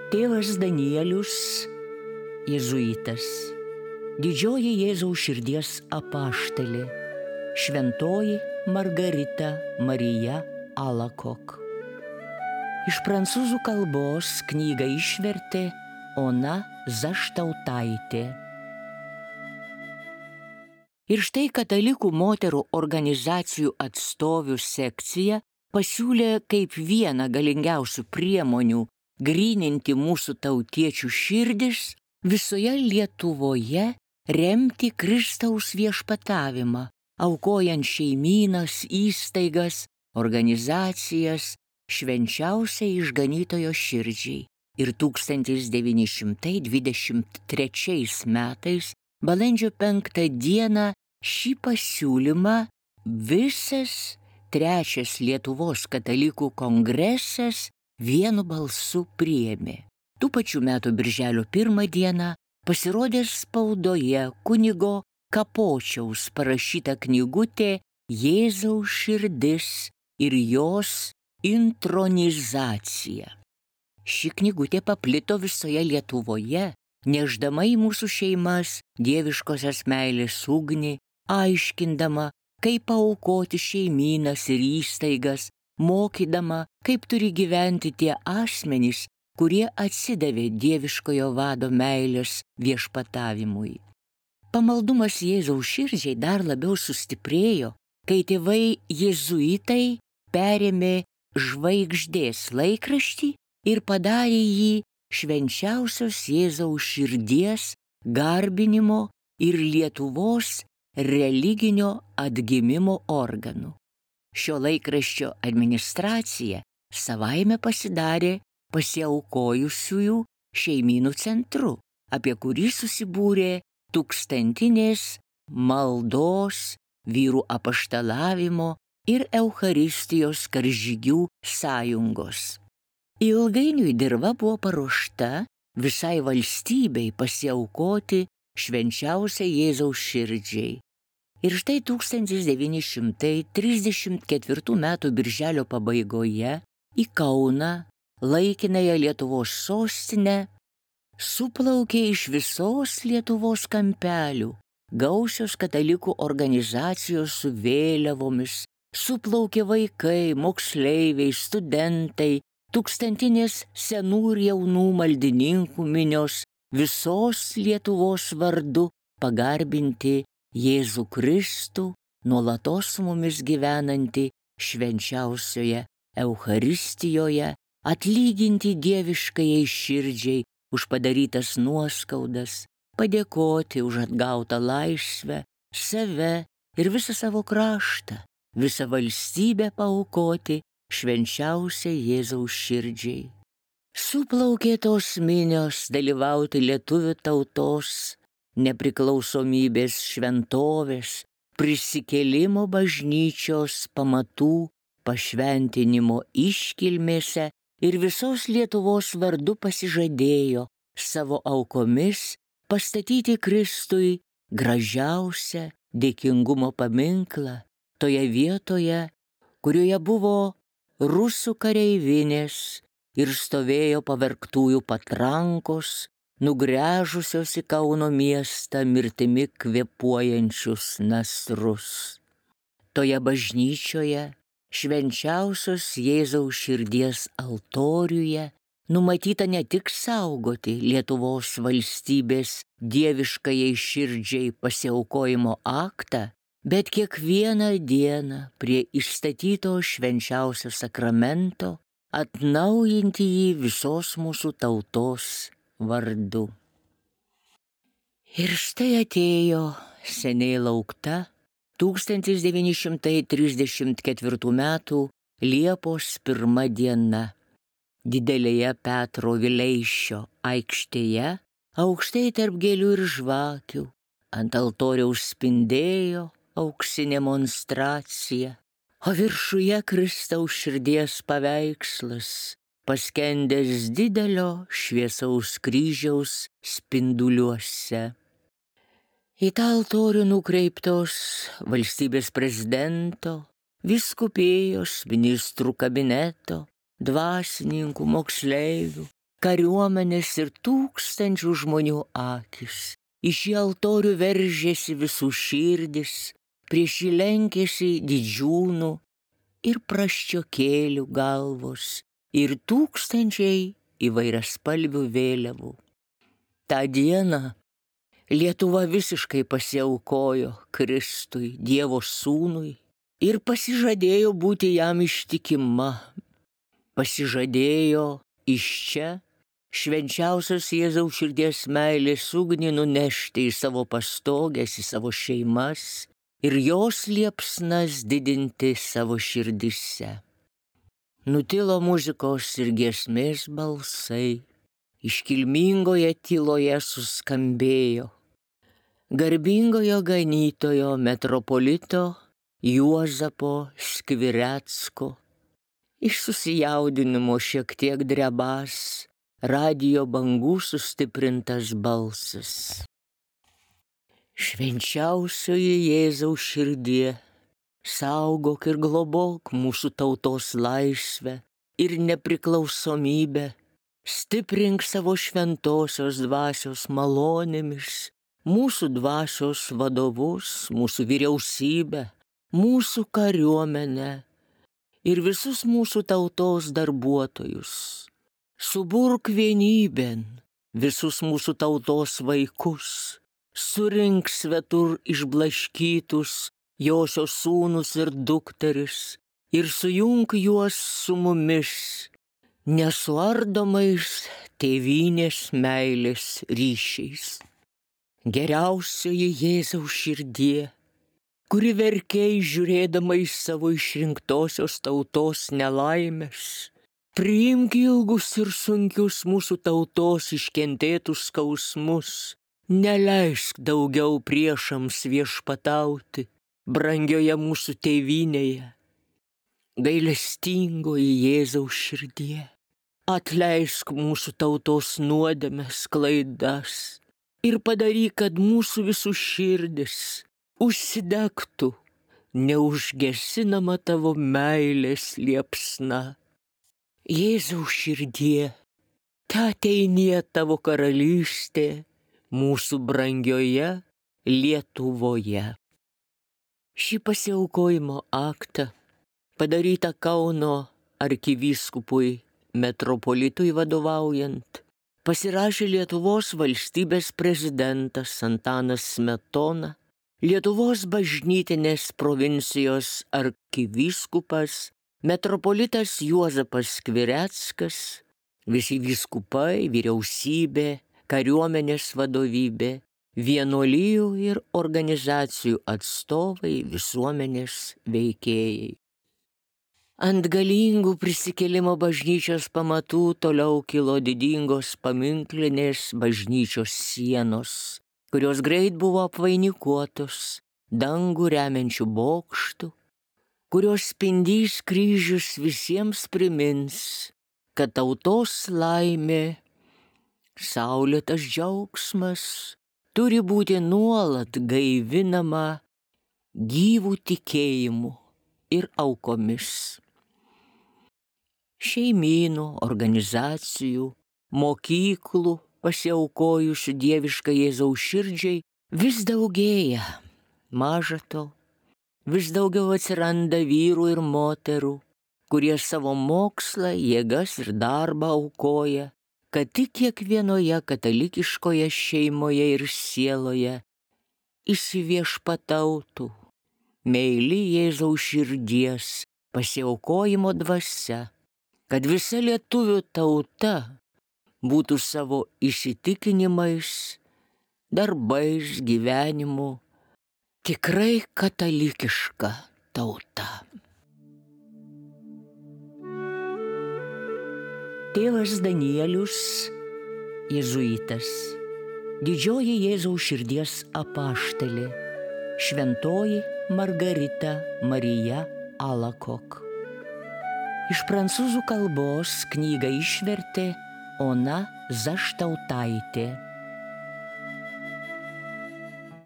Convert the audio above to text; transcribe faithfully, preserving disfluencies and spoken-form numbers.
Tėvas Danielius, jėzuitas, didžioji Jėzaus širdies apaštalė, šventoji Margarita Marija Alakok. Iš prancūzų kalbos knygą išvertė Ona Zaštautaitė. Ir štai katalikų moterų organizacijų atstovių sekcija pasiūlė kaip vieną galingiausių priemonių gryninti mūsų tautiečių širdis visoje Lietuvoje remti Kristaus viešpatavimą, aukojant šeimynas, įstaigas, organizacijas švenčiausiai išganytojo širdžiai. Ir tūkstantis devyni šimtai dvidešimt trečiais metais, balandžio penktą dieną, šį pasiūlymą visas trečias Lietuvos katalikų kongresas vienu balsu priėmė. Tų pačių metų birželio pirmą dieną pasirodė spaudoje kunigo Kapočiaus parašyta knygutė Jėzaus širdis ir jos intronizacija. Ši knygutė paplito visoje Lietuvoje, nešdama į mūsų šeimas dieviškosios meilės ugnį, aiškindama, kaip paaukoti šeimynas ir įstaigas, mokydama, kaip turi gyventi tie asmenys, kurie atsidavė dieviškojo vado meilės viešpatavimui. Pamaldumas Jėzaus širdžiai dar labiau sustiprėjo, kai tėvai jėzuitai perėmė Žvaigždės laikraštį ir padarė jį švenčiausios Jėzaus širdies garbinimo ir Lietuvos religinio atgimimo organu. Šio laikraščio administracija savaime pasidarė pasiaukojusiųjų šeimynų centru, apie kurį susibūrė tūkstantinės maldos, vyrų apaštalavimo ir Eucharistijos karžygių sąjungos. Ilgainiui dirva buvo paruošta visai valstybei pasiaukoti švenčiausiai Jėzaus širdžiai. Ir štai tūkstantis devyni šimtai trisdešimt ketvirtų metų birželio pabaigoje į Kauną, laikinąją Lietuvos sostinę, suplaukė iš visos Lietuvos kampelių gausios katalikų organizacijos su vėliavomis, suplaukė vaikai, moksleiviai, studentai, tūkstantinės senų ir jaunų maldininkų minios visos Lietuvos vardu pagarbinti Jėzų Kristų, nuolatos su mumis gyvenantį švenčiausioje Eucharistijoje, atlyginti dieviškajai širdžiai už padarytas nuoskaudas, padėkoti už atgautą laisvę, save ir visą savo kraštą, visą valstybę paaukoti švenčiausiai Jėzaus širdžiai. Suplaukė tos minios dalyvauti lietuvių tautos nepriklausomybės šventovės, prisikėlimo bažnyčios pamatų pašventinimo iškilmėse ir visos Lietuvos vardu pasižadėjo savo aukomis pastatyti Kristui gražiausią dėkingumo paminklą toje vietoje, kurioje buvo rusų kareivinės ir stovėjo pavergtųjų patrankos, nugręžusios į Kauno miestą mirtimi kvėpuojančius nasrus. Toje bažnyčioje, švenčiausios Jėzaus širdies altoriuje, numatyta ne tik saugoti Lietuvos valstybės dieviškajai širdžiai pasiaukojimo aktą, bet kiekvieną dieną prie išstatyto švenčiausio sakramento atnaujinti jį visos mūsų tautos vardu. Ir štai atėjo seniai laukta tūkstantis devyni šimtai trisdešimt ketvirtų metų Liepos pirma diena. Didelėje Petro Vileišio aikštėje, aukštai tarp gėlių ir žvakių, ant altoriaus spindėjo auksinė monstracija, o viršuje Kristaus širdies paveikslas, paskendęs didelio šviesaus kryžiaus spinduliuose. Į tą altorių nukreiptos valstybės prezidento, vyskupijos, ministrų kabineto, dvasininkų, moksleivių, kariuomenės ir tūkstančių žmonių akis. Iš į altorių veržėsi visų širdis, prieš jį lenkėsi didžiūnų ir praščiokėlių galvos ir tūkstančiai įvairiaspalvių vėliavų. Ta dieną Lietuva visiškai pasiaukojo Kristui, Dievo sūnui, ir pasižadėjo būti jam ištikima. Pasižadėjo iš čia švenčiausios Jėzaus širdies meilės ugnį nunešti į savo pastogės, į savo šeimas ir jos liepsnas didinti savo širdise. Nutilo muzikos ir giesmės balsai, iškilmingoje tyloje suskambėjo garbingojo ganytojo metropolito Juozapo Skvirecko. Iš susijaudinimo šiek tiek drebas radijo bangų sustiprintas balsas. Švenčiausioji Jėzaus širdie, saugok ir globok mūsų tautos laisvę ir nepriklausomybę, stiprink savo šventosios dvasios malonėmis mūsų dvasios vadovus, mūsų vyriausybę, mūsų kariuomenę ir visus mūsų tautos darbuotojus. Suburk vienybėn visus mūsų tautos vaikus, surink svetur išblaškytus josios sūnus ir dukteris ir sujunk juos su mumis nesuardomais tėvynės meilės ryšiais. Geriausioji Jėzaus širdie, kuri verkei žiūrėdama į savo išrinktosios tautos nelaimės, priimk ilgus ir sunkius mūsų tautos iškentėtus skausmus, neleisk daugiau priešams viešpatauti brangioje mūsų tėvynėje. Gailestingoji Jėzaus širdie, atleisk mūsų tautos nuodėmes, klaidas ir padaryk, kad mūsų visų širdis užsidegtų neužgesinama tavo meilės liepsna. Jėzaus širdie, te ateinie tavo karalystė mūsų brangioje Lietuvoje. Šį pasiaukojimo aktą, padarytą Kauno arkivyskupui metropolitui vadovaujant, pasirašė Lietuvos valstybės prezidentas Antanas Smetona, Lietuvos bažnytinės provincijos arkivyskupas, metropolitas Juozapas Skvireckas, visi vyskupai, vyriausybė, kariuomenės vadovybė, vienuolijų ir organizacijų atstovai, visuomenės veikėjai. Ant galingų prisikėlimo bažnyčios pamatų toliau kilo didingos paminklinės bažnyčios sienos, kurios greit buvo apvainikuotos dangų remiančių bokštų, kurios spindys kryžius visiems primins, kad tautos laimė, saulėtas džiaugsmas turi būti nuolat gaivinama gyvų tikėjimu ir aukomis. Šeimynų, organizacijų, mokyklų pasiaukojusių dieviškai Jėzaus širdžiai vis daugėja. Maža to, vis daugiau atsiranda vyrų ir moterų, kurie savo mokslą, jėgas ir darbą aukoja, kad tik kiekvienoje katalikiškoje šeimoje ir sieloje įsiviešpatautų meili Jėzaus širdies pasiaukojimo dvasia, kad visa lietuvių tauta būtų savo įsitikinimais, darbais, gyvenimu tikrai katalikiška tauta. Tėvas Danielius, jėzuitas, didžioji Jėzaus širdies apaštalė, šventoji Margarita Marija Alakok. Iš prancūzų kalbos knygą išvertė Ona Zaštautaitė.